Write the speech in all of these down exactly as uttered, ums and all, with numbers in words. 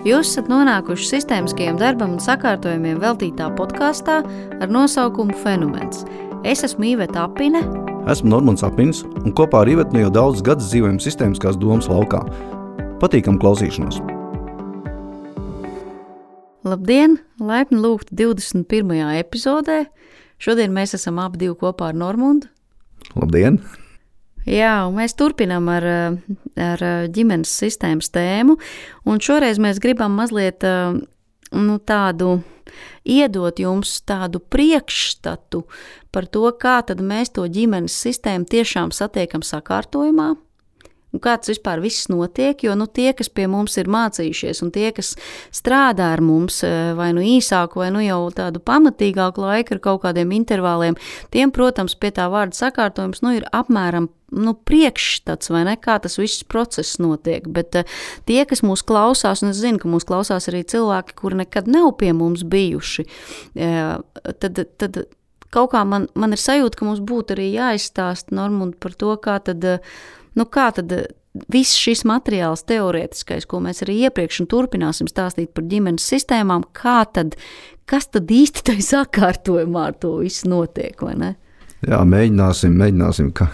Jūs esat nonākuši sistēmiskajam darbam un sakārtojumiem veltītā podkāstā ar nosaukumu Fenomens. Es esmu Iveta Apine. Esmu Normons Apins, un kopā ar Ivetu jau daudz gadus dzīvojam sistēmiskās domas laukā. Patīkam klausīšanos! Labdien! Laipni lūgti divdesmit pirmajā epizodē. Šodien mēs esam abi divi kopā ar Normundu. Labdien! Jā, un mēs turpinām ar, ar ģimenes sistēmas tēmu, un šoreiz mēs gribam mazliet nu, tādu, iedot jums tādu priekšstatu par to, kā tad mēs to ģimenes sistēmu tiešām satiekam sakārtojumā, un kā tas vispār viss notiek, jo nu, tie, kas pie mums ir mācījušies, un tie, kas strādā ar mums vai nu īsāku, vai nu jau tādu pamatīgāku laiku ar kaut kādiem intervāliem, tiem, protams, pie tā vārda sakārtojums nu, ir apmēram nu, priekšstats, vai ne, kā tas viss process notiek, bet uh, tie, kas mūs klausās, un es zinu, ka mūs klausās arī cilvēki, kuri nekad nav pie mums bijuši, uh, tad, tad kaut kā man, man ir sajūta, ka mums būtu arī jāizstāst Normund par to, kā tad, uh, nu, kā tad uh, viss šis materiāls teorētiskais, ko mēs arī iepriekš un turpināsim stāstīt par ģimenes sistēmām, kā tad, kas tad īsti tai sakārtojumā ar to viss notiek, vai ne? Jā, mēģināsim, mēģināsim. Kā.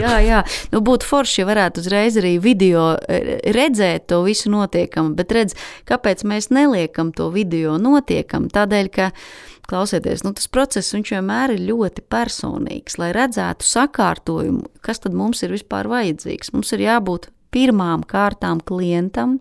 jā, jā. Nu, būtu forši, ja varētu uzreiz arī video redzēt to visu notiekam, bet redz, kāpēc mēs neliekam to video notiekam? Tādēļ, ka, klausieties, nu, tas process, viņš vienmēr ir ļoti personīgs, lai redzētu sakārtojumu, kas tad mums ir vispār vajadzīgs. Mums ir jābūt pirmām kārtām klientam.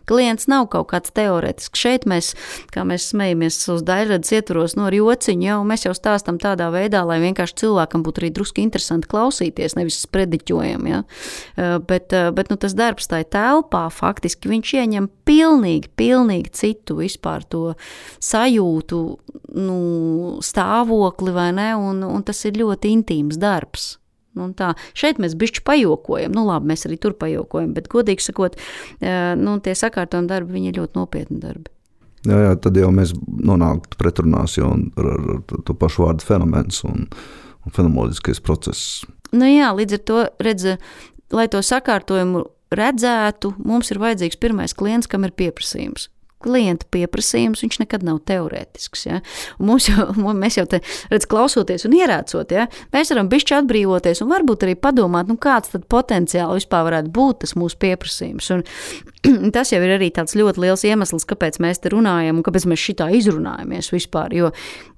Klients nav kaut kāds teorētisks. Šeit mēs, kā mēs smejamies uz daļradas ietvaros no ar jociņu, jau mēs jau stāstam tādā veidā, lai vienkārši cilvēkam būtu arī druski interesanti klausīties, nevis sprediķojam, ja? Bet, bet nu, tas darbs tai telpā faktiski viņš ieņem pilnīgi, pilnīgi citu vispār to sajūtu, nu, stāvokli, vai ne, un, un tas ir ļoti intīms darbs. Nu, tā. Šeit mēs bišķi pajokojam, nu labi, mēs arī tur pajokojam, bet godīgi sakot, nu, tie sakārtojumi darbi, viņi ir ļoti nopietni darbi. Jā, jā, tad jau mēs nonāktu pretrunās jau ar, ar, ar to pašu vārdu fenomens un, un fenomenoloģiskais process. Nu jā, līdz ar to, redz, lai to sakārtojumu redzētu, mums ir vajadzīgs pirmais klients, kam ir pieprasījums. Klienta pieprasījums, viņš nekad nav teorētisks, ja? Un mums jau, mēs jau te, redz, klausoties un ierācot, ja? Mēs varam bišķi atbrīvoties un varbūt arī padomāt, nu kāds tad potenciāli vispār varētu būt tas mūsu pieprasījums. Un tas jau ir arī tāds ļoti liels iemesls, kāpēc mēs te runājam un kāpēc mēs šitā izrunājamies vispār, jo,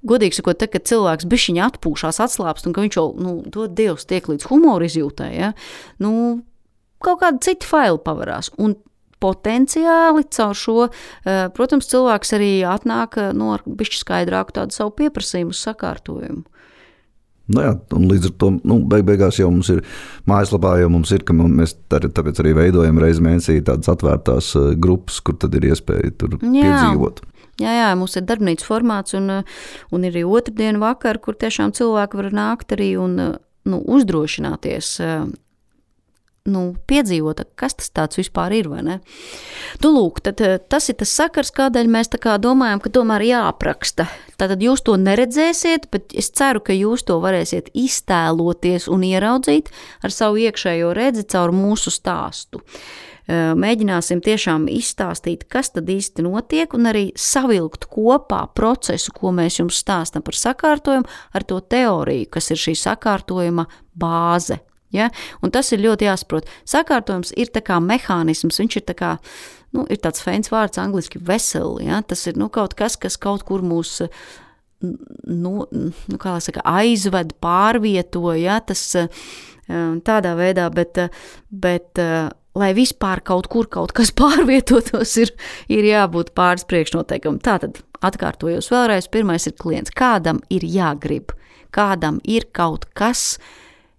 godīgi sakot, te, kad cilvēks bišķiņi atpūšās, atslāpst un ka viņš jau, nu, dod Dievs tiek līdz humoru izjūtai, ja? Nu, kaut kādi citi faili pavarās. Un potenciāli caur šo, protams, cilvēks arī atnāk no ar bišķi skaidrāku tādu savu pieprasījumu sakārtojumu. Nu jā, un līdz ar to, nu, beig beigās jau mums ir mājaslapā, jau mums ir, ka mēs tāpēc arī veidojam reizi mēnesī tādas atvērtās grupas, kur tad ir iespēja tur jā. Piedzīvot. Jā, jā, mums ir darbnīcas formāts un, un ir arī otrdienu vakar, kur tiešām cilvēki var nākt arī un, nu, uzdrošināties nu, piedzīvot, kas tas tāds vispār ir, vai ne? Tu lūk, tad tas ir tas sakars, kādēļ mēs tā kā domājam, ka tomēr jāapraksta. Tātad jūs to neredzēsiet, bet es ceru, ka jūs to varēsiet iztēloties un ieraudzīt ar savu iekšējo redzi caur mūsu stāstu. Mēģināsim tiešām izstāstīt, kas tad īsti notiek un arī savilkt kopā procesu, ko mēs jums stāstam par sakārtojumu ar to teoriju, kas ir šī sakārtojuma bāze. Ja? Un tas ir ļoti jāsaprot. Sakārtojums ir tā kā mehānisms, viņš ir tā kā, nu, ir tāds feins vārds angliski vessel, ja? Tas ir, nu, kaut kas, kas kaut kur mūs, nu, nu kā lai saka, aizved, pārvieto, ja? Tas tādā veidā, bet, bet lai vispār kaut kur kaut kas pārvietotos, ir, ir jābūt pāris priekšnoteikumi. Tātad atkārtojos vēlreiz, pirmais ir klients. Kādam ir jāgrib, kādam ir kaut kas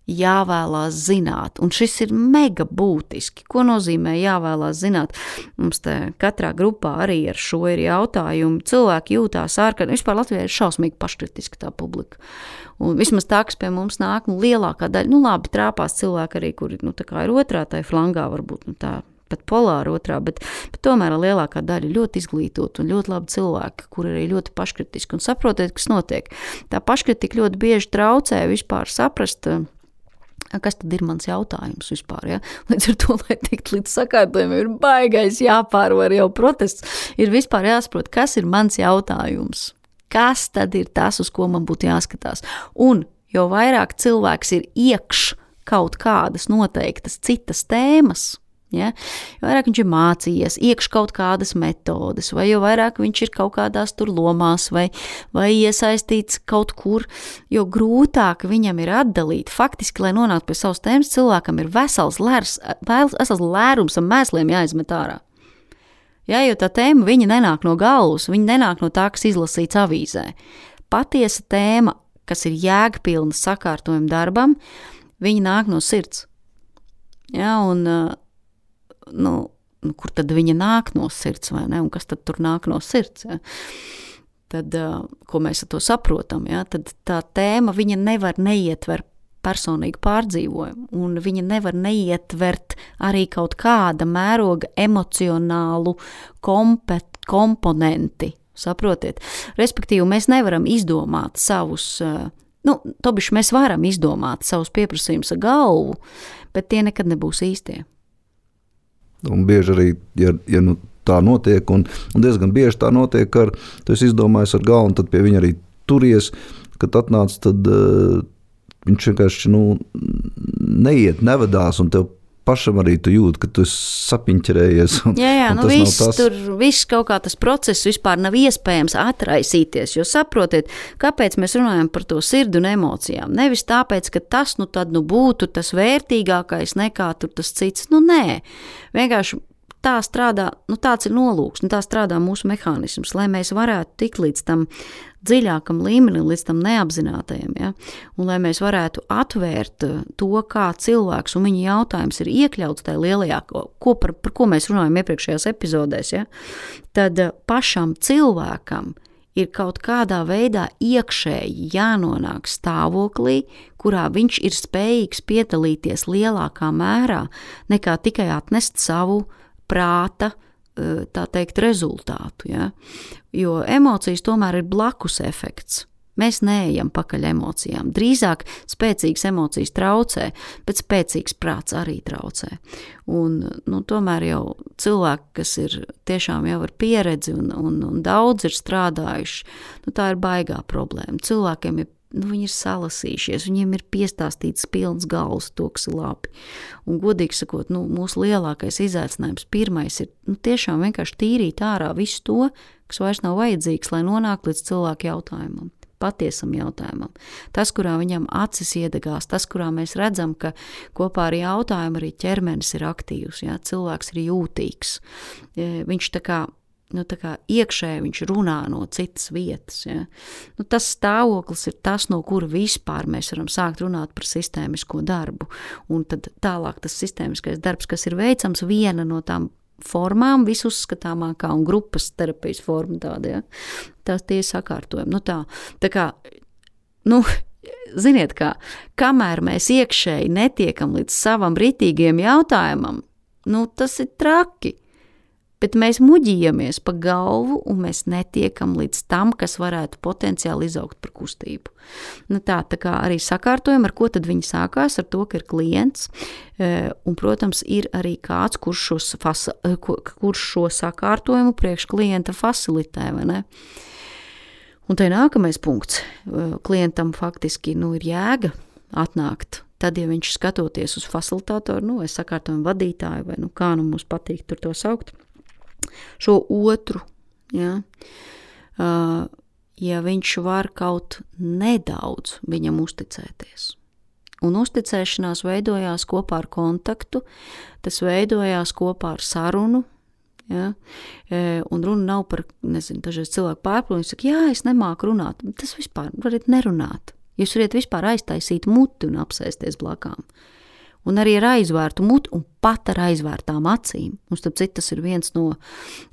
jāvēlās zināt, un šis ir mega būtiski. Ko nozīmē jāvēlās zināt? Mums te katrā grupā arī ar šo ir jautājumi. Cilvēki jūtās ārkārtīgi, vispār Latvijā ir šausmīgi paškritiski tā publika. Un vismaz tā, kas pie mums nāk, nu, lielākā daļa, nu labi, trāpās cilvēki arī, kuri, nu, tā kā ir otrā tai flangā, varbūt, nu, tā pat polāra otrā, bet, bet tomēr lielākā daļa ļoti izglītot un ļoti labi cilvēki, kuri arī ļoti paškritiski un saprotiet, kas notiek. Tā paškritika ļoti bieži traucē vispār saprast kas tad ir mans jautājums vispār, ja? Līdz ar to, lai tikt līdz sakārtojumiem, ir baigais jāpārvar jau protests, ir vispār jāsaprot, kas ir mans jautājums, kas tad ir tas, uz ko man būtu jāskatās. Un jo vairāk cilvēks ir iekš kaut kādas noteiktas citas tēmas, ja? Jo vairāk viņš ir mācījies, iekš kaut kādas metodes, vai jo vairāk viņš ir kaut kādās tur lomās, vai, vai iesaistīts kaut kur, jo grūtāk viņam ir atdalīt. Faktiski, lai nonāktu pie savas tēmas, cilvēkam ir vesels, lērs, vesels lērums ar mēsliem jāizmet ārā. Ja, jo tā tēma, viņa nenāk no galvas, viņa nenāk no tā, kas izlasīts avīzē. Patiesa tēma, kas ir jēgpilna sakārtojuma darbam, viņa nāk no sirds. Ja, un Nu, nu, kur tad viņa nāk no sirds, vai ne? Un kas tad tur nāk no sirds? Ja? Tad, uh, ko mēs ar to saprotam, ja? Tad tā tēma, viņa nevar neietver personīgu pārdzīvojumu, un viņa nevar neietvert arī kaut kāda mēroga emocionālu kompet, komponenti, saprotiet? Respektīvi, mēs nevaram izdomāt savus, uh, nu, tobiši mēs varam izdomāt savus pieprasījumus ar galvu, bet tie nekad nebūs īstie. Un bieži arī, ja, ja nu tā notiek, un, un diezgan bieži tā notiek, ar, tu esi izdomājis ar galvu, un tad pie viņa arī turies, kad atnāc, tad uh, viņš vienkārši, nu, neiet, nevadās, un tev pašam arī tu jūti, ka tu esi sapiņķerējies. Un, jā, jā, un nu viss, tas... tur viss kaut kā tas process vispār nav iespējams atraisīties, jo saprotiet, kāpēc mēs runājam par to sirdi un emocijām. Nevis tāpēc, ka tas nu tad nu būtu tas vērtīgākais nekā tur tas cits. Nu nē, vienkārši tā strādā, nu tāds ir nolūks, nu tā strādā mūsu mehānisms, lai mēs varētu tikt līdz tam dziļākam līmenim, līdz tam neapzinātajam, ja? Un lai mēs varētu atvērt to, kā cilvēks un viņa jautājums ir iekļauts tajā lielajā, ko par, par ko mēs runājam iepriekšējās epizodēs, ja? Tad pašam cilvēkam ir kaut kādā veidā iekšēji jānonāk stāvoklī, kurā viņš ir spējīgs piedalīties lielākā mērā nekā tikai atnest savu prāta, tā teikt, rezultātu. Ja? Jo emocijas tomēr ir blakus efekts. Mēs neejam pakaļ emocijām. Drīzāk spēcīgas emocijas traucē, bet spēcīgs prāts arī traucē. Un, nu, tomēr jau cilvēki, kas ir tiešām jau ar pieredzi un, un, un daudz ir strādājuši, nu, tā ir baigā problēma. Cilvēkiem ir Nu, viņi ir salasījušies, viņiem ir piestāstīts pilns galvas, to, kas ir labi. Un, godīgi sakot, nu, mūsu lielākais izaicinājums pirmais ir nu, tiešām vienkārši tīrīt ārā visu to, kas vairs nav vajadzīgs, lai nonāktu līdz cilvēku jautājumam, patiesam jautājumam. Tas, kurā viņam acis iedegās, tas, kurā mēs redzam, ka kopā ar jautājumu arī ķermenis ir aktīvs, ja? Cilvēks ir jūtīgs. Viņš tā kā Nu, tā kā iekšēji viņš runā no citas vietas. Ja? Nu, tas stāvoklis ir tas, no kura vispār mēs varam sākt runāt par sistēmisko darbu. Un tad tālāk tas sistēmiskais darbs, kas ir veicams, viena no tām formām, visuzskatāmākā un grupas terapijas forma tāda, ja? Tās tie sakārtojumi. Nu, tā, tā kā, nu, ziniet kā, kamēr mēs iekšēji netiekam līdz savam ritīgiem jautājumam, nu, tas ir traki. Bet mēs muģījamies pa galvu un mēs netiekam līdz tam, kas varētu potenciāli izaugt par kustību. Nu tā, tā kā arī sakārtojam, ar ko tad viņi sākās, ar to, ka ir klients, un, protams, ir arī kāds, kurš, šos, fasa, kurš šo sakārtojumu priekš klienta fasilitē, vai ne? Un te nākamais punkts. Klientam faktiski, nu, ir jēga atnākt. Tad, ja viņš skatoties uz facilitātoru, nu, vai sakārtojumu vadītāju, vai, nu, kā nu mums patīk tur to saukt, šo otru, ja, uh, ja viņš var kaut nedaudz viņam uzticēties. Un uzticēšanās veidojās kopā ar kontaktu, tas veidojās kopā ar sarunu, ja, un runa nav par, nezinu, dažreiz cilvēku pārpilnu, viņš saka, jā, es nemāku runāt, tas vispār varat nerunāt. Jūs varat vispār aiztaisīt muti un apsēsties blakām. Un arī ar aizvērtu muti un pat ar aizvērtām acīm. Un starp citu, tas ir viens no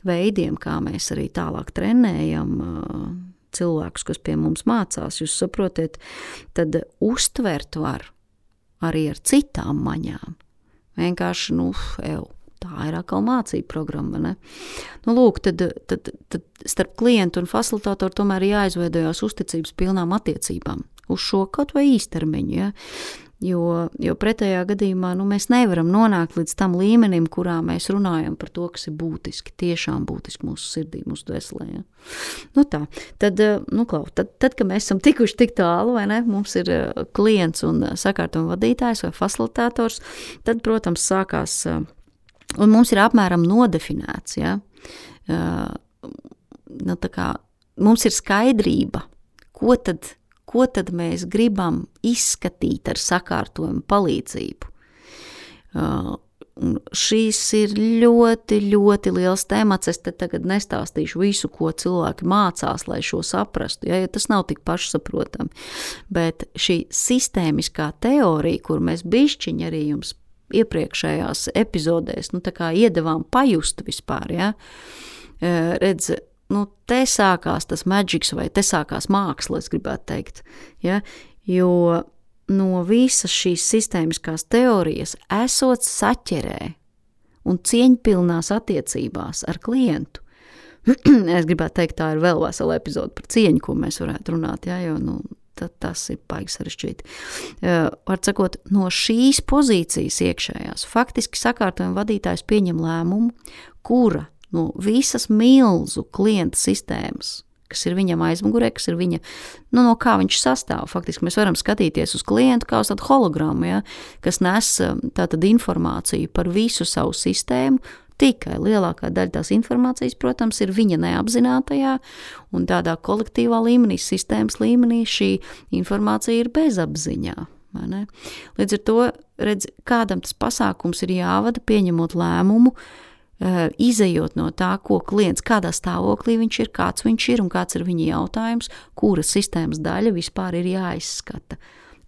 veidiem, kā mēs arī tālāk trenējam uh, cilvēkus, kas pie mums mācās. Jūs saprotiet, tad uztvert var arī ar citām maņām. Vienkārši, nu, ev, tā ir atkal mācība programma, ne? Nu, lūk, tad, tad, tad starp klientu un facilitātoru tomēr jāizveidojās uzticības pilnām attiecībām. Uz šo kaut vai īstermiņu, ja? Jo, jo pretējā gadījumā nu, mēs nevaram nonākt līdz tam līmenim, kurā mēs runājam par to, kas ir būtiski, tiešām būtiski mūsu sirdī, mūsu dvēselē. Ja? Nu tā, tad, nu klau, tad, tad, kad mēs esam tikuši tik tālu, vai ne, mums ir klients un sakārtojuma vadītājs vai facilitātors, tad, protams, sākās, un mums ir apmēram nodefinēts, ja? Nu, tā kā mums ir skaidrība, ko tad ko tad mēs gribam izskatīt ar sakārtojumu palīdzību. Uh, šīs ir ļoti, ļoti liels temats. Es te tagad nestāstīšu visu, ko cilvēki mācās, lai šo saprastu, ja, jo tas nav tik pašsaprotami. Bet šī sistēmiskā teorija, kur mēs bišķiņi arī jums iepriekšējās epizodēs, nu tā kā iedevām pajust vispār, ja, uh, redz, nu, te sākās tas magics vai te sākās māksla, es gribētu teikt. Ja? Jo no visas šīs sistēmiskās teorijas esot saķerē un cieņpilnās attiecībās ar klientu. Es gribētu teikt, tā ir vēl vesela epizode par cieņu, ko mēs varētu runāt, ja? Jo nu, tad tas ir baigi sarežģīti. Uh, var sakot, no šīs pozīcijas iekšējās faktiski sakārtojuma vadītājs pieņem lēmumu, kura no visas milzu klienta sistēmas, kas ir viņam aizmugurē, kas ir viņa, nu, no kā viņš sastāv. Faktiski mēs varam skatīties uz klientu kā uz tādu hologramu, ja, kas nes tātad informāciju par visu savu sistēmu, tikai lielākā daļa tās informācijas, protams, ir viņa neapzinātajā un tādā kolektīvā līmenī, sistēmas līmenī šī informācija ir bezapziņā. Vai ne? Līdz ar to, redz, kādam tas pasākums ir jāvada, pieņemot lēmumu, izejot no tā, ko klients, kādā stāvoklī viņš ir, kāds viņš ir un kāds ir viņa jautājums, kura sistēmas daļa vispār ir jāizskata.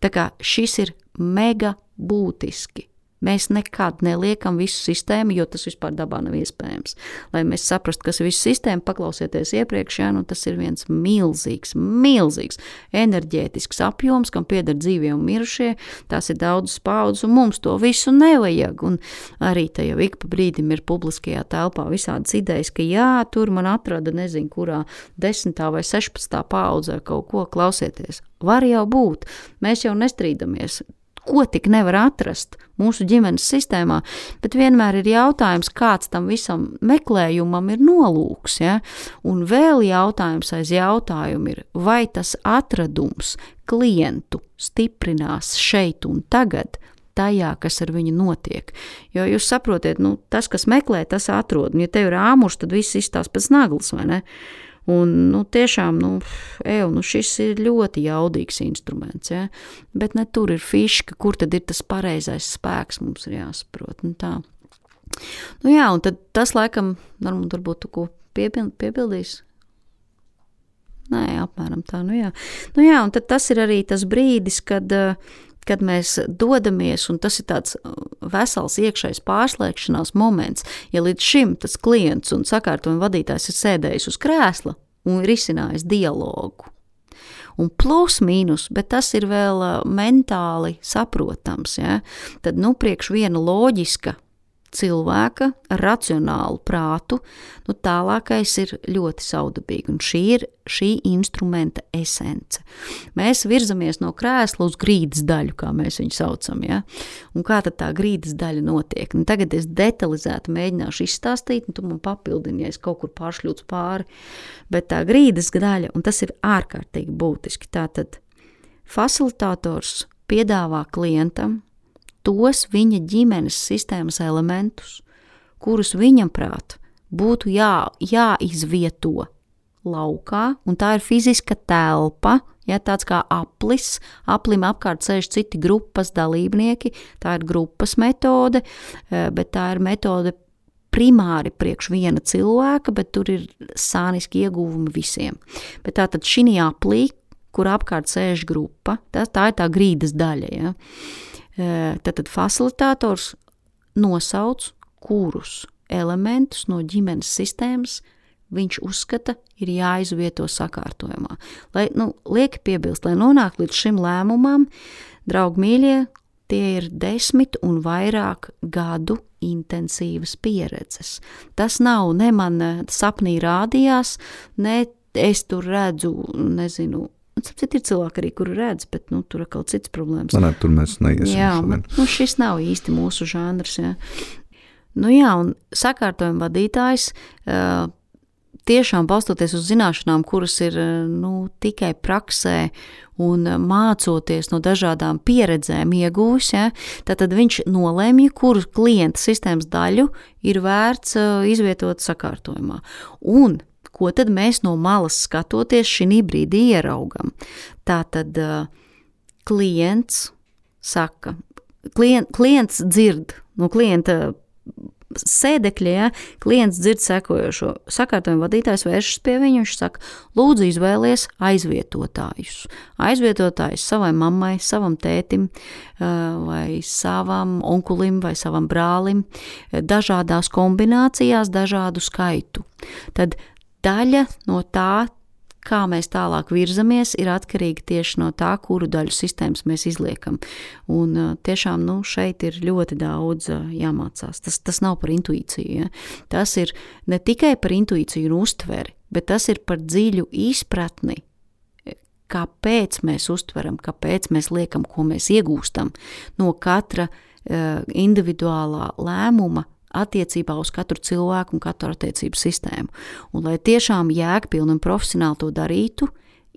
Tā kā šis ir mega būtiski. Mēs nekad neliekam visu sistēmu, jo tas vispār dabā nav iespējams. Lai mēs saprastu, kas ir visu sistēmu, paklausieties iepriekš, ja, nu tas ir viens milzīgs, milzīgs enerģētisks apjoms, kam pieder dzīvie un mirušie, tās ir daudzas paudzes, un mums to visu nevajag. Un arī te jau ik pa brīdim ir publiskajā telpā visādas idejas, ka jā, tur man atrada nezinu, kurā desmitā vai sešpadsmitā paudzē kaut ko, klausieties. Var jau būt, mēs jau nestrīdamies. Ko tik nevar atrast mūsu ģimenes sistēmā, bet vienmēr ir jautājums, kāds tam visam meklējumam ir nolūks, ja? Un vēl jautājums aiz jautājumu ir, vai tas atradums klientu stiprinās šeit un tagad, tajā, kas ar viņu notiek. Jo jūs saprotiet, nu, tas, kas meklē, tas atrod, un ja tev ir āmurs, tad viss izstās pēc naglas, vai ne? Un, nu, tiešām, nu, ev, nu, šis ir ļoti jaudīgs instruments, ja? Bet ne tur ir fiška, kur tad ir tas pareizais spēks, mums ir jāsaprot, nu tā. Nu jā, un tad tas laikam, varbūt, varbūt tu ko piepild, piepildīs? Nē, apmēram tā, nu jā. Nu jā, un tad tas ir arī tas brīdis, kad, kad mēs dodamies, un tas ir tāds vesels iekšējs pārslēgšanās moments, ja līdz šim tas klients un sakārtojuma vadītājs ir sēdējis uz krēsla un risinājis dialogu. Un plus mīnus, bet tas ir vēl mentāli saprotams, ja? Tad, nu, priekš viena loģiska cilvēka ar racionālu prātu, nu tālākais ir ļoti saudabīgi, un šī ir šī instrumenta esence. Mēs virzamies no krēsla uz grīdas daļu, kā mēs viņu saucam, ja? Un kā tad tā grīdas daļa notiek? Nu, tagad es detalizēti mēģināšu izstāstīt, un tu man papildini, ja es kaut kur pāršļūts pāri, bet tā grīdas daļa, un tas ir ārkārtīgi būtiski, tātad facilitātors piedāvā klientam tos viņa ģimenes sistēmas elementus, kurus viņam prāt būtu jā, jāizvieto laukā, un tā ir fiziska telpa, ja, tāds kā aplis, aplim apkārt sēž citi grupas dalībnieki, tā ir grupas metode, bet tā ir metode primāri priekš viena cilvēka, bet tur ir sāniski ieguvumi visiem. Bet tātad šī aplī, kur apkārt sēž grupa, tā, tā ir tā grīdas daļa, ja. Tātad facilitātors nosauc, kurus elementus no ģimenes sistēmas viņš uzskata ir jāizvieto sakārtojumā. Lai, nu, lieki piebilst, lai nonāk līdz šim lēmumam, draugi mīļie, tie ir desmit un vairāk gadu intensīvas pieredzes. Tas nav ne man sapnī rādījās, ne es tur redzu, nezinu, Un sapcīt, ir cilvēki arī, kuri redz, bet, nu, tur ir kaut cits problēmas. Nē, tur mēs neiesim. Jā, un, nu, šis nav īsti mūsu žanrs, jā. Nu jā, un sakārtojuma vadītājs uh, tiešām balstoties uz zināšanām, kuras ir nu, tikai praksē un mācoties no dažādām pieredzēm iegūs, ja, tad viņš nolēmja, kuru klienta sistēmas daļu ir vērts izvietot sakārtojumā. Un ko tad mēs no malas skatoties šī brīdī ieraugam? Tātad klients saka, klient, klients dzird, no klienta sēdekļa, ja, klients dzird sekojošo. Sakārtojuma vadītājs vēršas pie viņu, viņš saka, lūdzu izvēlies aizvietotājus. Aizvietotājus savai mammai, savam tētim, vai savam onkulim, vai savam brālim, dažādās kombinācijās, dažādu skaitu. Tad daļa no tā, kā mēs tālāk virzamies, ir atkarīgi tieši no tā, kuru daļu sistēmas mēs izliekam. Un tiešām nu, šeit ir ļoti daudz jāmācās. Tas, tas nav par intuīciju. Ja? Tas ir ne tikai par intuīciju un uztveri, bet tas ir par dziļu izpratni, kāpēc mēs uztveram, kāpēc mēs liekam, ko mēs iegūstam no katra uh, individuālā lēmuma, attiecībā uz katru cilvēku un katru attiecību sistēmu. Un, lai tiešām jēgpilni un profesionāli to darītu,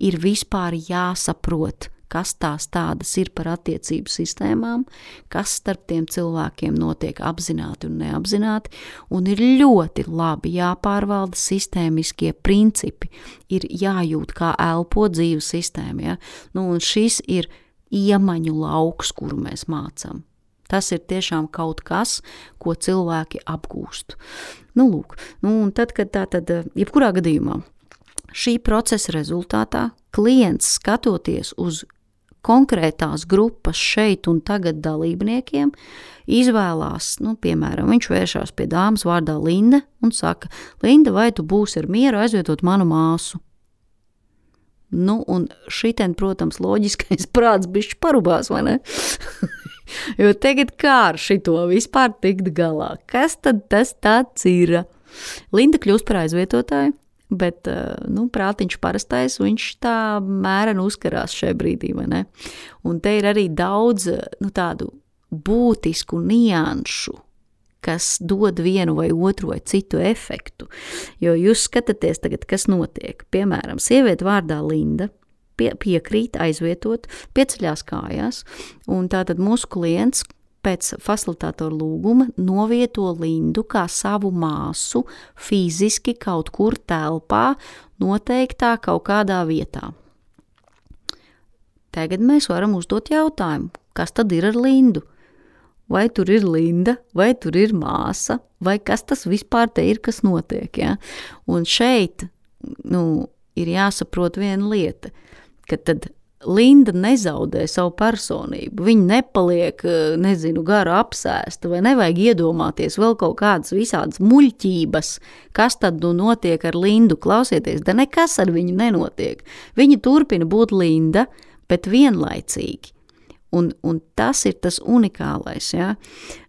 ir vispār jāsaprot, kas tās tādas ir par attiecību sistēmām, kas starp tiem cilvēkiem notiek apzināti un neapzināti, un ir ļoti labi jāpārvalda sistēmiskie principi, ir jājūt, kā elpo dzīvu sistēma. Ja? Nu, un šis ir iemaņu lauks, kuru mēs mācam. Tas ir tiešām kaut kas, ko cilvēki apgūst. Nu, lūk, nu, un tad, kad tā tad, jebkurā gadījumā, šī procesa rezultātā klients skatoties uz konkrētās grupas šeit un tagad dalībniekiem, izvēlās, nu, piemēram, viņš vēršās pie dāmas vārdā Linda un saka, Linda, vai tu būsi ar mieru aizvietot manu māsu? Nu, un šitien, protams, loģiskais prāts bišķi parubās, vai ne? Jo tagad kā ar šito vispār tikt galā? Kas tad tas tāds ir? Linda kļūst par aizvietotāju, bet, nu, prātiņš parastais, viņš tā mēreni uzkarās šajā brīdī, vai ne? Un te ir arī daudz, nu, tādu būtisku nianšu, kas dod vienu vai otru vai citu efektu. Jo jūs skatāties tagad, kas notiek. Piemēram, sieviete vārdā Linda pie, piekrīt aizvietot, pieceļās kājās, un tātad mūsu klients pēc facilitātora lūguma novieto Lindu kā savu māsu fiziski kaut kur telpā, noteiktā kaut kādā vietā. Tagad mēs varam uzdot jautājumu, kas tad ir ar Lindu? Vai tur ir Linda, vai tur ir māsa, vai kas tas vispār te ir, kas notiek, ja? Un šeit, nu, ir jāsaprot viena lieta, ka tad Linda nezaudē savu personību, viņa nepaliek, nezinu, gara apsēsta, vai nevajag iedomāties vēl kaut kādas visādas muļķības, kas tad nu notiek ar Lindu, klausieties, da nekas ar viņu nenotiek. Viņa turpina būt Linda, bet vienlaicīgi. Un, un tas ir tas unikālais, ja?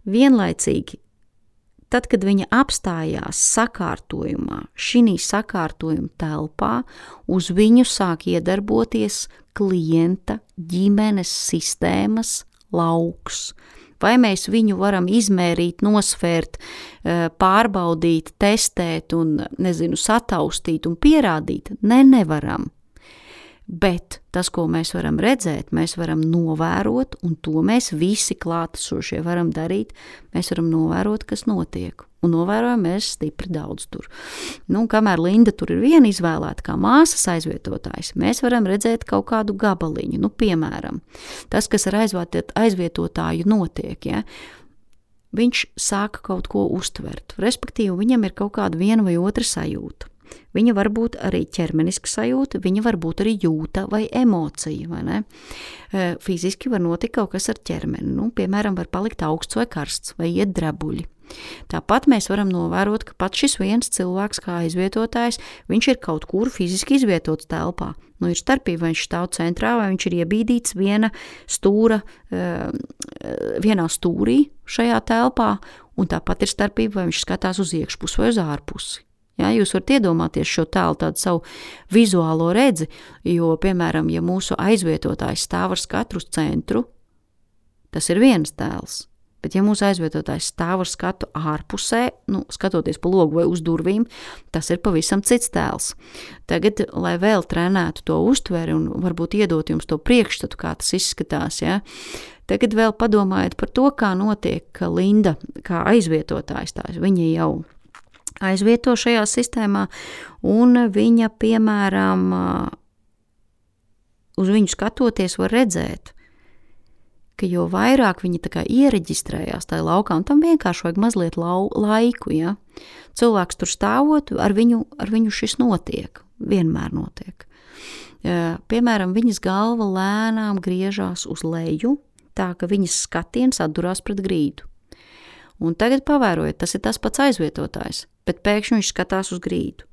Vienlaicīgi, tad, kad viņa apstājās sakārtojumā, šī sakārtojuma telpā, uz viņu sāk iedarboties klienta ģimenes sistēmas lauks. Vai mēs viņu varam izmērīt, nosvērt, pārbaudīt, testēt un, nezinu, sataustīt un pierādīt? Ne, nevaram. Bet tas, ko mēs varam redzēt, mēs varam novērot, un to mēs visi klātesošie varam darīt, mēs varam novērot, kas notiek. Un novērojam mēs stipri daudz tur. Nu, kamēr Linda tur ir viena izvēlēta kā māsas aizvietotājs, mēs varam redzēt kaut kādu gabaliņu. Nu, piemēram, tas, kas ar aizvietotāju notiek, ja, viņš sāka kaut ko uztvert. Respektīvi, viņam ir kaut kāda viena vai otra sajūta. Viņa var būt arī ķermeniska sajūta, viņa var būt arī jūta vai emocija, vai ne? Fiziski var notikt kaut kas ar ķermeni, nu, piemēram, var palikt augsts vai karsts, vai iet drebuļi. Tāpat mēs varam novērot, ka pat šis viens cilvēks kā aizvietotājs, viņš ir kaut kur fiziski izvietots telpā. Nu, ir starpība, vai viņš stāv centrā, vai viņš ir iebīdīts viena stūra, vienā stūrī šajā telpā, un tāpat ir starpība, vai viņš skatās uz iekšpusi vai uz ārpusi. Jā, jūs varat iedomāties šo tēlu, tādu savu vizuālo redzi, jo, piemēram, ja mūsu aizvietotājs stāv ar skatu uz centru, tas ir viens tēls. Bet, ja mūsu aizvietotājs stāv ar skatu ārpusē, nu, skatoties pa logu vai uz durvīm, tas ir pavisam cits tēls. Tagad, lai vēl trenētu to uztveri un varbūt iedot jums to priekšstatu, kā tas izskatās, ja, tagad vēl padomājiet par to, kā notiek, ka Linda, kā aizvietotājs tās, viņa jau aizvieto šajā sistēmā, un viņa, piemēram, uz viņu skatoties var redzēt, ka jo vairāk viņi tā kā iereģistrējās tajā laukā, un tam vienkārši vajag mazliet lau, laiku, ja? Cilvēks tur stāvot, ar viņu, ar viņu šis notiek, vienmēr notiek. Piemēram, viņas galva lēnām griežās uz leju, tā ka viņas skatiens atdurās pret grīdu. Un tagad pavērojiet, tas ir tas pats aizvietotājs, bet pēkšņi viņš skatās uz grīdu.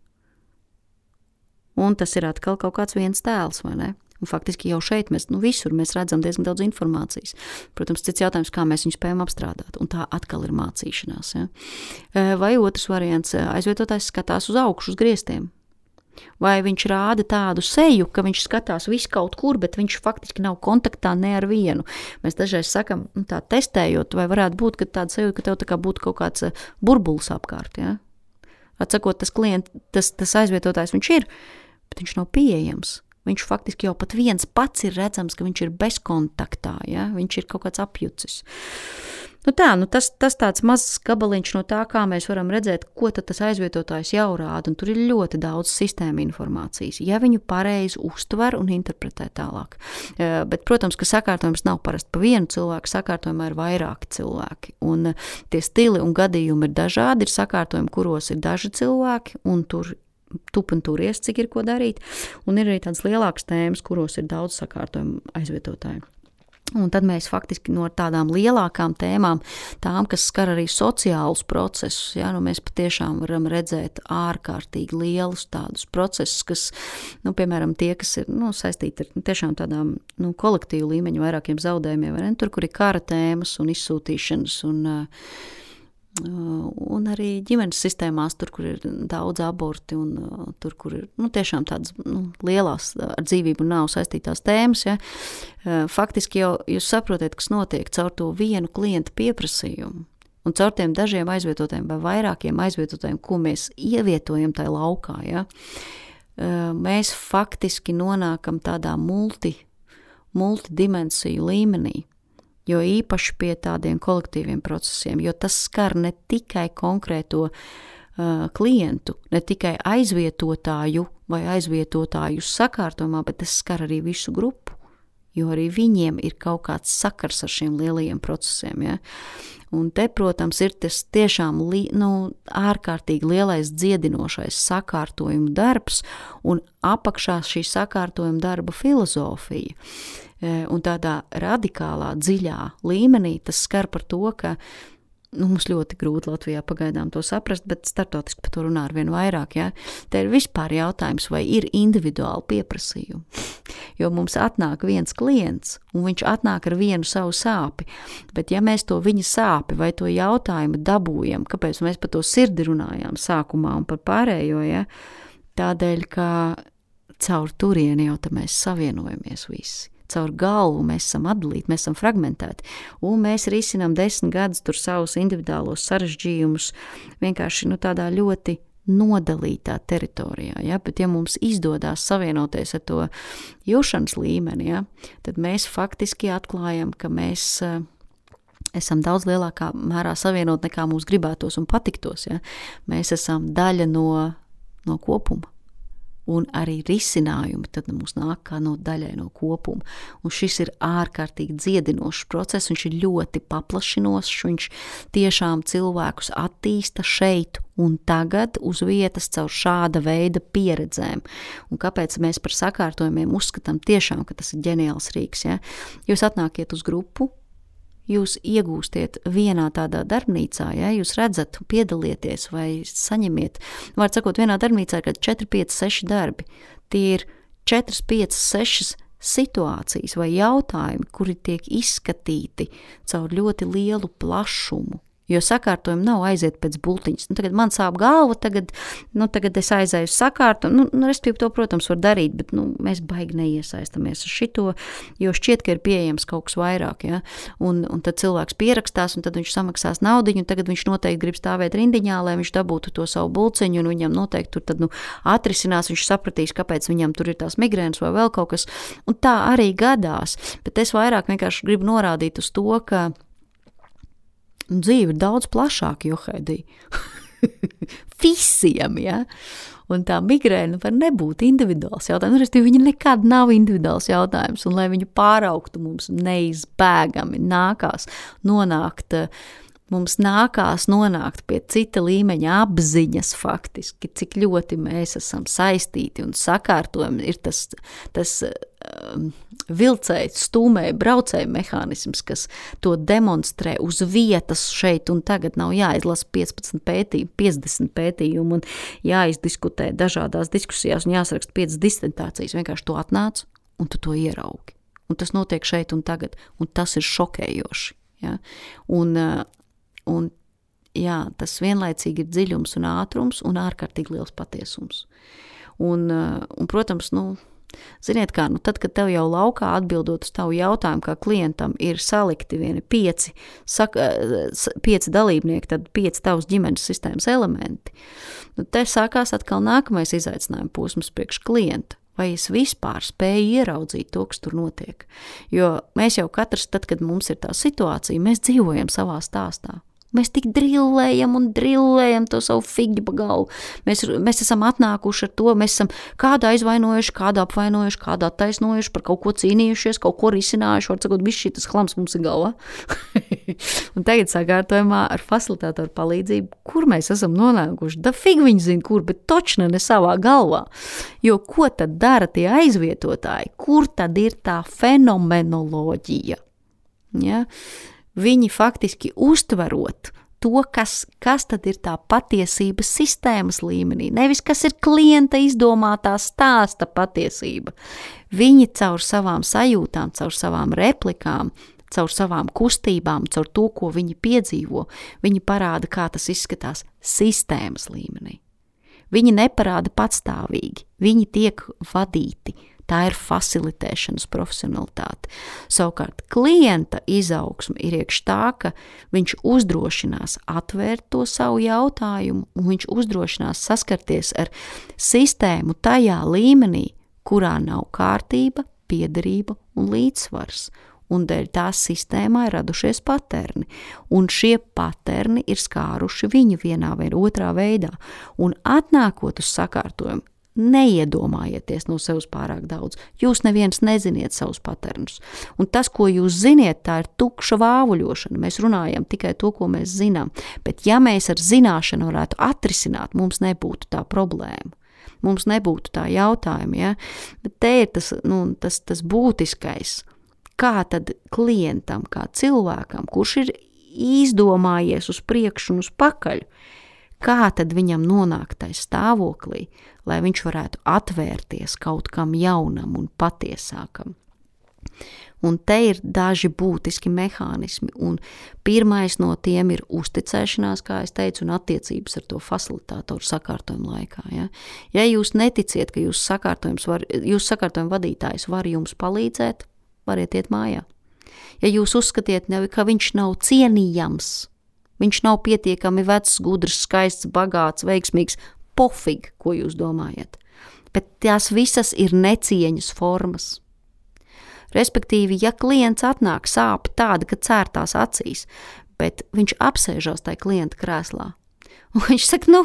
Un tas ir atkal kaut kāds viens tēls, vai ne? Un faktiski jau šeit mēs, nu visur mēs redzam diezgan daudz informācijas. Protams, cits jautājums, kā mēs viņu spējam apstrādāt, un tā atkal ir mācīšanās. Ja? Vai otrs variants, aizvietotājs skatās uz augšu, uz griestiem. Vai viņš rāda tādu seju, ka viņš skatās visu kaut kur, bet viņš faktiski nav kontaktā ne ar vienu. Mēs dažreiz sakam, nu, tā testējot, vai varētu būt, ka tāda seja, ka tev tā kā būtu kaut kāds burbulis apkārt. Ja? Atsakot, tas klient, tas, tas aizvietotājs viņš ir, bet viņš nav pieejams. Viņš faktiski jau pat viens pats ir redzams, ka viņš ir bezkontaktā, ja? Viņš ir kaut kāds apjucis. Nu tā, nu tas, tas tāds mazs gabaliņš no tā, kā mēs varam redzēt, ko tad tas aizvietotājs jau rāda, un tur ir ļoti daudz sistēma informācijas, ja viņu pareizi uztver un interpretē tālāk. Bet, protams, ka sakārtojums nav parasti pa vienu cilvēku, sakārtojumā ir vairāki cilvēki, un tie stili un gadījumi ir dažādi, ir sakārtojumi, kuros ir daži cilvēki, un tur tup un turies, cik ir ko darīt, un ir arī tādas lielākas tēmas, kuros ir daudz sakārtojumu aizvietotāju. Un tad mēs faktiski no tādām lielākām tēmām, tām, kas skar arī sociālus procesus, ja, nu mēs patiešām varam redzēt ārkārtīgi lielus tādus procesus, kas, nu, piemēram, tie, kas ir, nu, saistīti ar tiešām tādām, nu, kolektīvu līmeņu vairākiem zaudējumiem, vai ne, tur, kur ir kara tēmas un izsūtīšanas un uh, un arī ģimenes sistēmās, tur, kur ir daudz aborti un uh, tur, kur ir nu, tiešām tādas nu, lielās ar dzīvību nav saistītās tēmas. Ja? Uh, faktiski jau jūs saprotiet, kas notiek caur to vienu klientu pieprasījumu un caur tiem dažiem aizvietotājiem vai vairākiem aizvietotājiem, ko mēs ievietojam tajā laukā. Ja? Uh, mēs faktiski nonākam tādā multi, multidimensiju līmenī. Jo īpaši pie tādiem kolektīviem procesiem, jo tas skar ne tikai konkrēto uh, klientu, ne tikai aizvietotāju vai aizvietotājus sakārtojumā, bet tas skar arī visu grupu, jo arī viņiem ir kaut kāds sakars ar šiem lielajiem procesiem. Ja? Un te, protams, ir tas tiešām li, nu, ārkārtīgi lielais dziedinošais sakārtojuma darbs un apakšā šī sakārtojuma darba filozofija. Un tādā radikālā, dziļā līmenī tas skar par to, ka nu, mums ļoti grūti Latvijā pagaidām to saprast, bet startautiski par to runā ar vien vairāk. Ja? Te ir vispār jautājums, vai ir individuāli pieprasījumi. Jo mums atnāk viens klients, un viņš atnāk ar vienu savu sāpi. Bet ja mēs to viņa sāpi vai to jautājumu dabūjam, kāpēc mēs par to sirdi runājām sākumā un par pārējo, ja? Tādēļ, ka caur turieni jau tā mēs savienojamies visi. Caur galvu mēs esam atdalīti, mēs esam fragmentēti, un mēs risinām desmit gadus tur savus individuālos sarežģījumus vienkārši nu, tādā ļoti nodalītā teritorijā. Ja? Bet ja mums izdodās savienoties ar to jūšanas līmeni, ja? Tad mēs faktiski atklājam, ka mēs uh, esam daudz lielākā mērā savienot nekā mums gribētos un patiktos. Ja? Mēs esam daļa no, no kopuma. Un arī risinājumi tad mums nāk kā no daļai no kopuma. Un šis ir ārkārtīgi dziedinošs process, viņš ir ļoti paplašinošs, viņš tiešām cilvēkus attīsta šeit un tagad uz vietas caur šāda veida pieredzēm. Un kāpēc mēs par sakārtojumiem uzskatām tiešām, ka tas ir ģeniāls rīks, ja? Jūs atnākiet uz grupu, jūs iegūstiet vienā tādā darbnīcā, ja, jūs redzat, piedalieties vai saņemiet. Vārds sakot, vienā darbnīcā ir četri, pieci, seši darbi. Tie ir četri, pieci, seši situācijas vai jautājumi, kuri tiek izskatīti caur ļoti lielu plašumu Jo sakārtojumi nav aiziet pēc bultiņas. Nu, tagad man sāp galva, tagad, nu, tagad es aizēju sakārtu. Nu, nu, respektīvi to, protams, var darīt, bet nu, mēs baigi neiesaistamies ar šito, jo šķiet, ka ir pieejams kaut kas vairāk. Ja? Un, un tad cilvēks pierakstās, un tad viņš samaksās naudiņu, un tagad viņš noteikti grib stāvēt rindiņā, lai viņš dabūtu to savu bulciņu, un viņam noteikti tur tad, nu, atrisinās, viņš sapratīs, kāpēc viņam tur ir tās migrēnas vai vēl kaut kas. Un tā arī gadās. Bet es vairāk vienkārši gribu norādīt uz to, ka dzīve ir daudz plašāka, Johaidī. Visiem, ja? Un tā migrēna var nebūt individuāls jautājums. Restīvi, viņa nekad nav individuāls jautājums, un lai viņu pāraugtu mums neizbēgami nākās nonākt, mums nākās nonākt pie cita līmeņa apziņas faktiski, cik ļoti mēs esam saistīti un sakārtojumi ir tas, tas um, vilcēji, stūmēji, braucēji mehānisms, kas to demonstrē uz vietas šeit un tagad. Nav jāizlasa piecpadsmit pētījumu, piecdesmit pētījumu un jāizdiskutē dažādās diskusijās un jāsaraksta piecas disertācijas. Vienkārši to atnāc un tu to ieraugi. Un tas notiek šeit un tagad. Un tas ir šokējoši. Ja? Un, un jā, tas vienlaicīgi ir dziļums un ātrums un ārkārtīgi liels patiesums. Un, un protams, nu, ziniet kā, nu tad, kad tev jau laukā atbildot uz tavu jautājumu, kā klientam ir salikti vieni pieci, saka, pieci dalībnieki, tad pieci tavas ģimenes sistēmas elementi, nu te sākās atkal nākamais izaicinājuma posms priekš klienta. Vai es vispār spēju ieraudzīt to, kas tur notiek? Jo mēs jau katrs, tad, kad mums ir tā situācija, mēs dzīvojam savā stāstā. Mēs tik drillējam un drillējam to savu figļu pa galvu. Mēs, mēs esam atnākuši ar to, mēs esam kādu aizvainojuši, kādu apvainojuši, kādu attaisnojuši, par kaut ko cīnījušies, kaut ko risinājuši, var sakot, viss šitas chlams mums ir galvā. Un tagad sakārtojumā ar facilitātoru palīdzību, kur mēs esam nonākuši, da fig viņi zina, kur, bet točne ne savā galvā. Jo ko tad dara tie aizvietotāji? Kur tad ir tā fenomenoloģija? Ja? Viņi faktiski uztverot to, kas, kas tad ir tā patiesības sistēmas līmenī, nevis kas ir klienta izdomātā stāsta patiesība. Viņi caur savām sajūtām, caur savām replikām, caur savām kustībām, caur to, ko viņi piedzīvo, viņi parāda, kā tas izskatās sistēmas līmenī. Viņi neparāda patstāvīgi, viņi tiek vadīti. Tā ir facilitēšanas profesionalitāte. Savukārt klienta izaugsme ir iekš tā, ka viņš uzdrošinās atvērt to savu jautājumu un viņš uzdrošinās saskarties ar sistēmu tajā līmenī, kurā nav kārtība, piederība un līdzsvars. Un dēļ tās sistēmā ir radušies paterni. Un šie paterni ir skāruši viņu vienā vai otrā veidā. Un atnākot uz sakārtojumu, neiedomājieties no sevis pārāk daudz. Jūs neviens neziniet savus paternus. Un tas, ko jūs ziniet, tā ir tukša vāvuļošana. Mēs runājam tikai to, ko mēs zinām. Bet ja mēs ar zināšanu varētu atrisināt, mums nebūtu tā problēma. Mums nebūtu tā jautājuma. Ja? Bet te ir tas, nu, tas, tas būtiskais. Kā tad klientam, kā cilvēkam, kurš ir izdomājies uz priekšu un uz pakaļ, kā tad viņam nonākt tai stāvoklī, lai viņš varētu atvērties kaut kam jaunam un patiesākam. Un te ir daži būtiski mehānismi, un pirmais no tiem ir uzticēšanās, kā es teicu, un attiecības ar to facilitātoru sakārtojumu laikā. Ja, ja jūs neticiet, ka jūs sakārtojums var, jūs sakārtojuma vadītājs var jums palīdzēt, variet iet mājā. Ja jūs uzskatiet, ka viņš nav cienījams, viņš nav pietiekami vecs, gudrs, skaists, bagāts, veiksmīgs, pofig, ko jūs domājat. Bet tās visas ir necieņas formas. Respektīvi, ja klients atnāk sāp tāda, ka cērtās acīs, bet viņš apsēžās tajā klienta krēslā, un viņš saka, nu,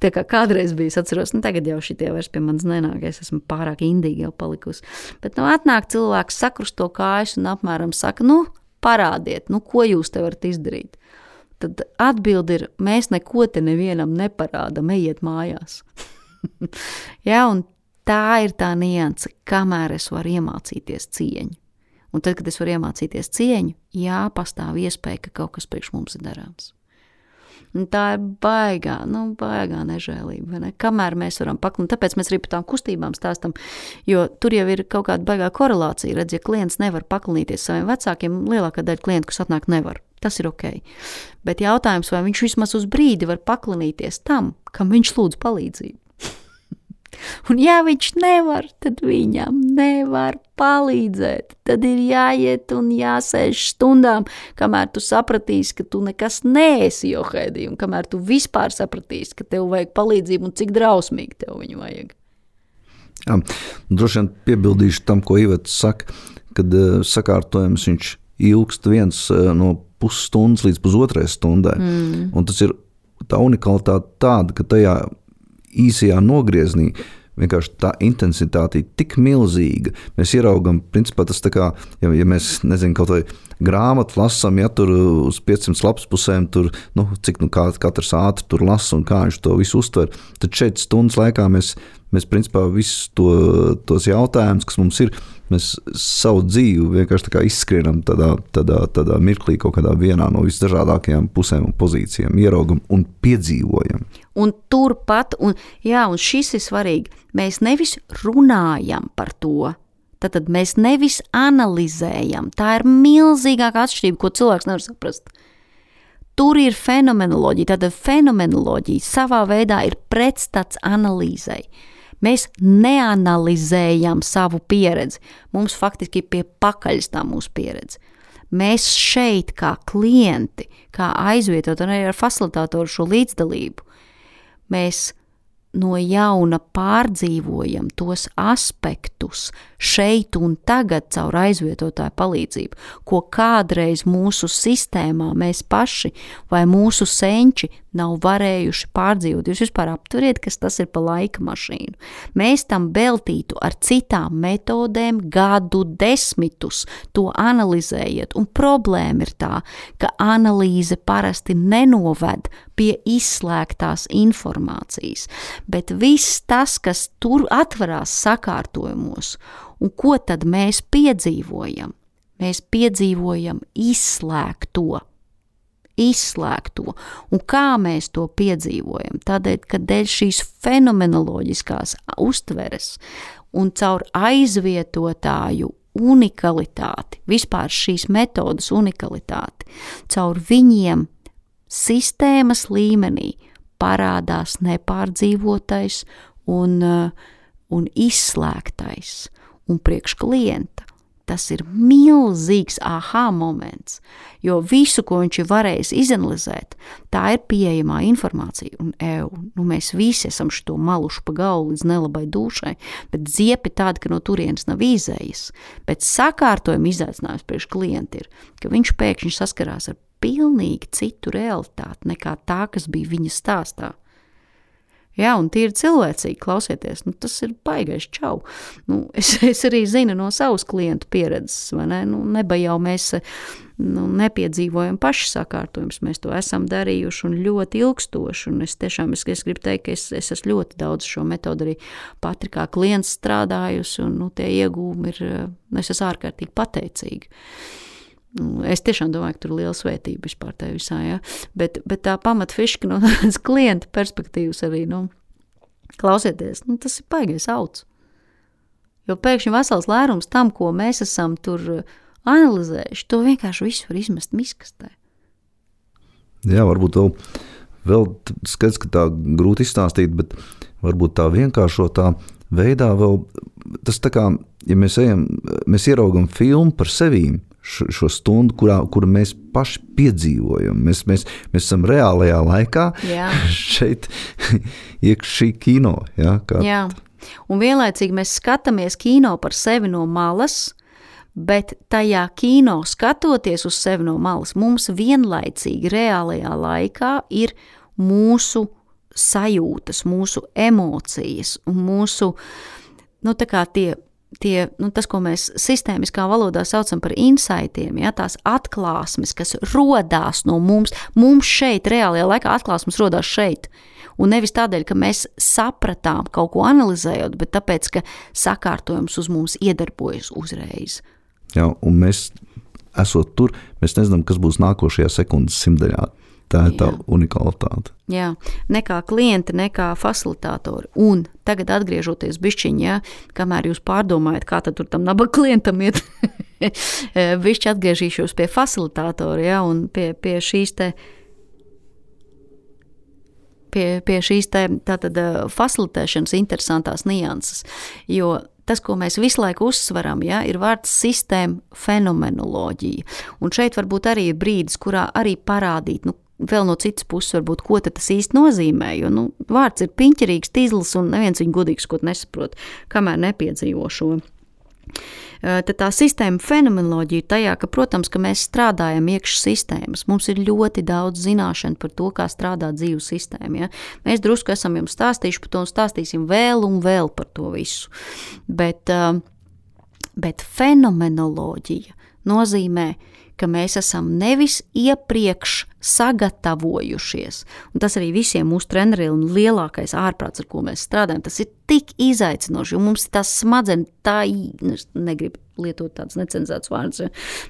tā kā kādreiz bija, es atceros, nu tagad jau šitie vairs pie manis nenāk, es esmu pārāk indīgi jau palikusi. Bet nu atnāk cilvēks, sakrusto kājas un apmēram saka, nu, parādiet, nu, ko jūs te varat izdarīt. Tad atbildi ir, mēs neko te nevienam neparādam, ejiet mājās. Ja, un tā ir tā nianse, kamēr es varu iemācīties cieņu. Un tad, kad es varu iemācīties cieņu, jā, pastāv iespēja, ka kaut kas priekš mums ir darāms. Un tā ir baigā, nu, baigā nežēlība, vai ne? Kamēr mēs varam paklināt, tāpēc mēs arī par tām kustībām stāstam, jo tur jau ir kaut kāda baigā korelācija, redz, ja klients nevar paklinīties saviem vecākiem, lielākā daļa klientu, kas atnāk, nevar. Tas ir ok. Bet jautājums, vai viņš vismaz uz brīdi var paklanīties tam, kam viņš lūdz palīdzību. Un ja viņš nevar, tad viņam nevar palīdzēt. Tad ir jāiet un jāsēž stundām, kamēr tu sapratīsi, ka tu nekas neesi Johaidī, un kamēr tu vispār sapratīsi, ka tev vajag palīdzību un cik drausmīgi tev viņu vajag. Jā, droši vien piebildīšu tam, ko Iveta saka, kad uh, sakārtojums viņš ilgst viens uh, no pusstundas līdz pusotrai stundai. Mm. Un tas ir tā unikalitāte tāda, ka tajā īsajā nogrieznī vienkārši tā intensitāte ir tik milzīga. Mēs ieraugam, principā tas tā kā, ja, ja mēs, nezinu, kaut vai grāmatu lasam, ja tur uz piecsimt lapas pusēm, tur, nu, cik nu kā, katrs ātri tur lasa un kā viņš to visu uztver, tad šeit stundas laikā mēs, mēs principā visus to, tos jautājumus, kas mums ir, mēs savu dzīvi vienkārši tā kā izskrienam tādā, tādā, tādā mirklī kaut kādā vienā no visdažādākajām pusēm un pozīcijām, ieraugam un piedzīvojam. Un turpat, un, jā, un šis ir svarīgi, mēs nevis runājam par to, tad, tad mēs nevis analizējam. Tā ir milzīgāka atšķirība, ko cilvēks nevar saprast. Tur ir fenomenoloģija, tāda fenomenoloģija savā veidā ir pretstats analīzei. Mēs neanalizējam savu pieredzi. Mums faktiski pie pakaļas tā mūsu pieredze. Mēs šeit kā klienti, kā aizvietot un arī ar facilitātoru šo līdzdalību, mēs no jauna pārdzīvojam tos aspektus šeit un tagad caur aizvietotāju palīdzību, ko kādreiz mūsu sistēmā mēs paši vai mūsu senči nav varējuši pārdzīvot. Jūs vispār aptveriet, kas tas ir pa laika mašīnu. Mēs tam veltītu ar citām metodēm gadu desmitus, to analizējiet, un problēma ir tā, ka analīze parasti nenoved pie izslēgtās informācijas, bet viss tas, kas tur atverās sakārtojumos, un ko tad mēs piedzīvojam? Mēs piedzīvojam izslēgto. izslēgto. Un kā mēs to piedzīvojam? Tādēļ, ka dēļ šīs fenomenoloģiskās uztveres un caur aizvietotāju unikalitāti, vispār šīs metodas unikalitāti, caur viņiem sistēmas līmenī parādās nepārdzīvotais un, un izslēgtais. Un priekš klienta tas ir milzīgs aha moments, jo visu, ko viņš ir varējis izanalizēt, tā ir pieejamā informācija. Un ev, nu mēs visi esam šito maluši pa galvu līdz nelabai dušai, bet ziepi tāda, ka no turienes nav izējas. Bet sakārtojuma izaicinājums priekš klienta ir, ka viņš pēkšņi saskarās ar pilnīgi citu realitāti nekā tā, kas bija viņa stāstā. Jā, un tīri cilvēcīgi klausieties, nu, tas ir baigais čau. Nu, es, es arī zinu no savas klientu pieredzes, vai ne? Nu, neba jau mēs nu, nepiedzīvojam paši sakārtojumus, mēs to esam darījuši un ļoti ilgstoši, un es tiešām es, es gribu teikt, ka es, es esmu ļoti daudz šo metodu arī pati kā klients strādājusi, un nu, tie iegūmi ir, es esmu ārkārtīgi pateicīgi. Es tiešām domāju, ka tur ir liela svētība vispār tajā visā, ja? bet, bet tā pamatfiška no tādas klienta perspektīvas arī, nu, klausieties, nu, tas ir baigais auts. Jo pēkšņi vesels lērums tam, ko mēs esam tur analizējuši, to vienkārši visu var izmest miskastē. Jā, varbūt vēl, vēl skats, ka tā grūti izstāstīt, bet varbūt tā vienkāršotā veidā vēl, tas tā kā, ja mēs ejam, mēs ieraugam filmu par sevīm, šo stundu, kurā, kuru mēs paši piedzīvojam. Mēs, mēs, mēs esam reālajā laikā jā. Šeit iekš šī kino. Ja, kā... Jā, un vienlaicīgi mēs skatāmies kino par sevi no malas, bet tajā kino skatoties uz sevi no malas, mums vienlaicīgi reālajā laikā ir mūsu sajūtas, mūsu emocijas un mūsu, nu tā kā tie Tie, nu, tas, ko mēs sistēmiskā valodā saucam par insightiem, ja, tās atklāsmes, kas rodās no mums, mums šeit, reālajā laikā atklāsmes rodās šeit. Un nevis tādēļ, ka mēs sapratām kaut ko analizējot, bet tāpēc, ka sakārtojums uz mums iedarbojas uzreiz. Jā, un mēs, esot tur, mēs nezinām, kas būs nākošajā sekundes simtdaļā. Tā ir tā Jā. Unikalitāte. Jā, nekā klienti, nekā facilitātori. Un tagad atgriežoties bišķiņ, ja, kamēr jūs pārdomājat, kā tad tur tam nabaga klientam iet, Višķi atgriežīšos pie facilitātora, ja, un pie, pie šīs te Pie, pie šīs te, tātad, facilitēšanas interesantās nianses, jo tas, ko mēs visu laiku uzsveram, ja, ir vārds sistēma fenomenoloģija. Un šeit varbūt arī ir brīdis, kurā arī parādīt, nu, vēl no citas puses varbūt, ko tad tas īsti nozīmē, jo, nu, vārds ir piņķerīgs, tīzlis un neviens viņu gudīgs, ko nesaprot, kamēr nepiedzīvo šo. Tad tā sistēma fenomenoloģija ir tajā, ka, protams, ka mēs strādājam iekš sistēmas. Mums ir ļoti daudz zināšanu par to, kā strādā dzīves sistēma. Ja? Mēs drusku esam jums stāstījuši par to un stāstīsim vēl un vēl par to visu. Bet, bet fenomenoloģija nozīmē, ka mēs esam nevis iepriekš sagatavojušies. Un tas arī visiem mūsu treneriem un lielākais ārprāts, ar ko mēs strādājam, tas ir tik izaicinoši, jo mums tās smadzenes, tā, negribu lietot tāds necenzēts vārds,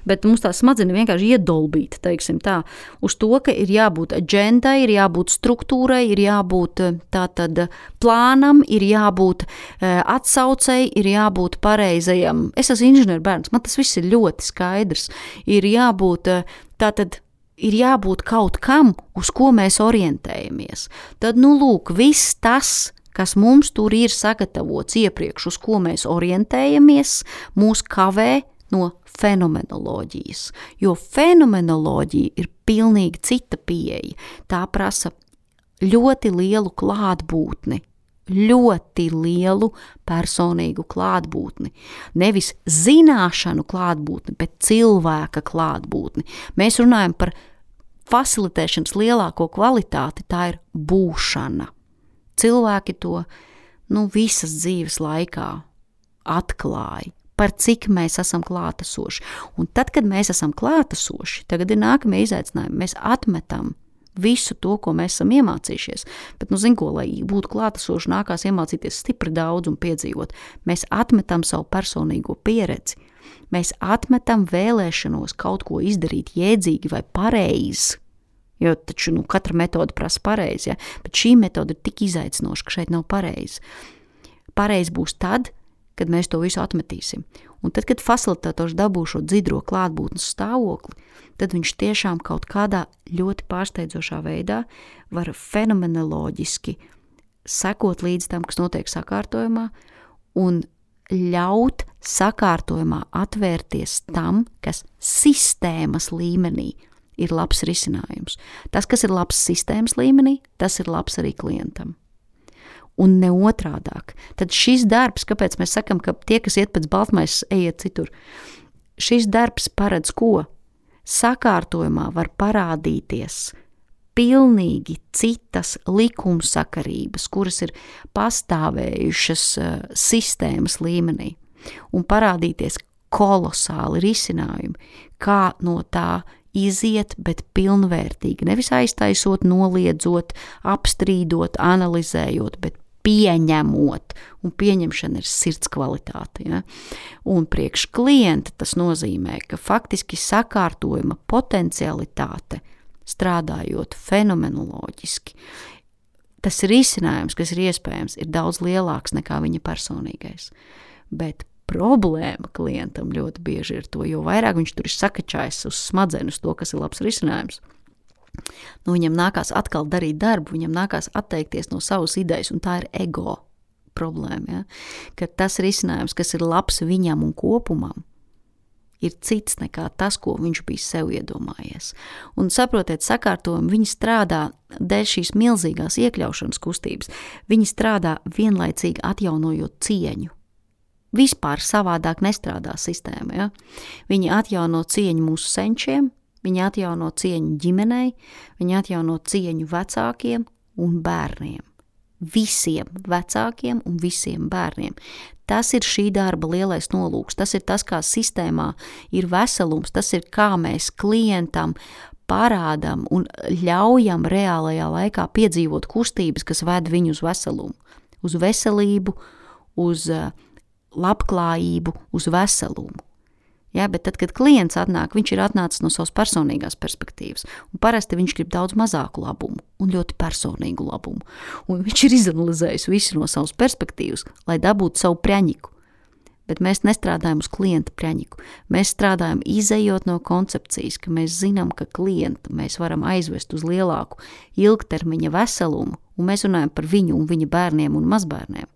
bet mums tās smadzenes vienkārši iedolbīta, teiksim tā, uz to, ka ir jābūt agendai, ir jābūt struktūrai, ir jābūt tātad plānam, ir jābūt atsaucei, ir jābūt pareizajam. Es esmu inženierbērns, man tas viss ir ļoti skaidrs. Ir jābūt tātad, ir jābūt kaut kam, uz ko mēs orientējamies. Tad, nu lūk, viss tas, kas mums tur ir sagatavots iepriekš, uz ko mēs orientējamies, mūs kavē no fenomenoloģijas. Jo fenomenoloģija ir pilnīgi cita pieeja. Tā prasa ļoti lielu klātbūtni, ļoti lielu personīgu klātbūtni. Nevis zināšanu klātbūtni, bet cilvēka klātbūtni. Mēs runājam par facilitēšanas lielāko kvalitāti, tā ir būšana. Cilvēki to, nu, visas dzīves laikā atklāja, par cik mēs esam klātesoši. Un tad, kad mēs esam klātesoši, tagad ir nākamie izaicinājumi. Mēs atmetam visu to, ko mēs esam iemācījušies. Bet, nu, zin ko, lai būtu klātesoši, nākās iemācīties stipri daudz un piedzīvot. Mēs atmetam savu personīgo pieredzi. Mēs atmetam vēlēšanos kaut ko izdarīt jēdzīgi vai pareizi. Jo taču, nu, katra metode prasa pareizi, ja? Bet šī metode ir tik izaicinoša, ka šeit nav pareizi. Pareizi būs tad, kad mēs to visu atmetīsim. Un tad, kad facilitators dabū šo dzidro klātbūtnes stāvokli, tad viņš tiešām kaut kādā ļoti pārsteidzošā veidā var fenomenoloģiski sekot līdz tam, kas notiek sakārtojumā, un ļaut sakārtojumā atvērties tam, kas sistēmas līmenī ir labs risinājums. Tas, kas ir labs sistēmas līmenī, tas ir labs arī klientam. Un ne otrādāk. Tad šis darbs, kāpēc mēs sakam, ka tie, kas iet pēc baltmaisas, ejiet citur, šis darbs paredz ko? Sakārtojumā var parādīties pilnīgi citas likumsakarības, kuras ir pastāvējušas uh, sistēmas līmenī, un parādīties kolosāli risinājumi, kā no tā iziet, bet pilnvērtīgi, nevis aiztaisot, noliedzot, apstrīdot, analizējot, bet pieņemot, un pieņemšana ir sirds kvalitāte. Ja? Un priekš klienta tas nozīmē, ka faktiski sakārtojuma potencialitāte, strādājot fenomenoloģiski, tas risinājums, kas ir iespējams, ir daudz lielāks nekā viņa personīgais. Bet problēma klientam ļoti bieži ir to, jo vairāk viņš tur ir sakačājis uz smadzenes to, kas ir labs risinājums. Nu, viņam nākās atkal darīt darbu, viņam nākās atteikties no savas idejas, un tā ir ego problēma. Ja? Ka tas risinājums, kas ir labs viņam un kopumam, ir cits nekā tas, ko viņš bija sev iedomājies. Un saprotiet, sakārtojumi, viņi strādā dēļ šīs milzīgās iekļaušanas kustības, viņi strādā vienlaicīgi atjaunojot cieņu. Vispār savādāk nestrādā sistēma. Ja? Viņi atjauno cieņu mūsu senčiem, viņi atjauno cieņu ģimenei, viņi atjauno cieņu vecākiem un bērniem. Visiem vecākiem un visiem bērniem. Tas ir šī darba lielais nolūks, tas ir tas, kā sistēmā ir veselums, tas ir kā mēs klientam parādam un ļaujam reālajā laikā piedzīvot kustības, kas ved viņu uz veselumu, uz veselību, uz labklājību, uz veselumu. Ja, bet tad, kad klients atnāk, viņš ir atnācis no savas personīgās perspektīvas, un parasti viņš grib daudz mazāku labumu un ļoti personīgu labumu. Un viņš ir izanalizējis visu no savas perspektīvas, lai dabūtu savu preņiku. bet mēs nestrādājam uz klienta preņiku. Mēs strādājam izejot no koncepcijas, ka mēs zinām, ka klientu mēs varam aizvest uz lielāku ilgtermiņa veselumu, un mēs runājam par viņu un viņa bērniem un mazbērniem.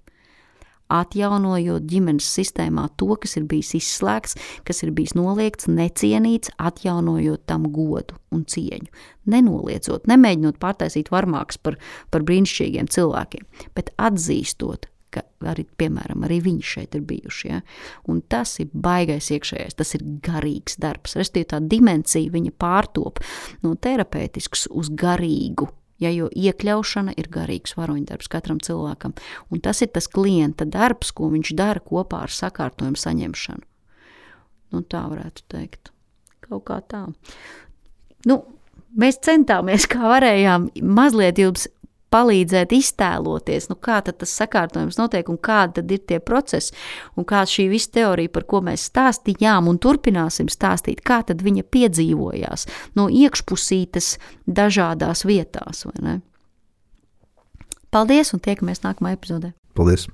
Atjaunojot ģimenes sistēmā to, kas ir bijis izslēgts, kas ir bijis noliegts, necienīts, atjaunojot tam godu un cieņu. Nenoliedzot, nemēģinot pārtaisīt varmāks par, par brīnišķīgiem cilvēkiem, bet atzīstot, ka arī, piemēram, arī viņi šeit ir bijuši. Ja? Un tas ir baigais iekšējais, tas ir garīgs darbs. Restīvi tā dimensija viņa pārtop no terapeitisks uz garīgu. Ja, jo iekļaušana ir garīgs varoņdarbs katram cilvēkam. Un tas ir tas klienta darbs, ko viņš dara kopā ar sakārtojumu saņemšanu. Nu, tā varētu teikt. Kaut kā tā. Nu, mēs centāmies, kā varējām, mazliet jums palīdzēt iztēloties, nu kā tad tas sakārtojums notiek un kādi tad ir tie procesi un kā šī visa teorija, par ko mēs stāstījām un turpināsim stāstīt, kā tad viņa piedzīvojās no iekšpusītes dažādās vietās, vai ne? Paldies un tiekamies nākamā epizodē. Paldies!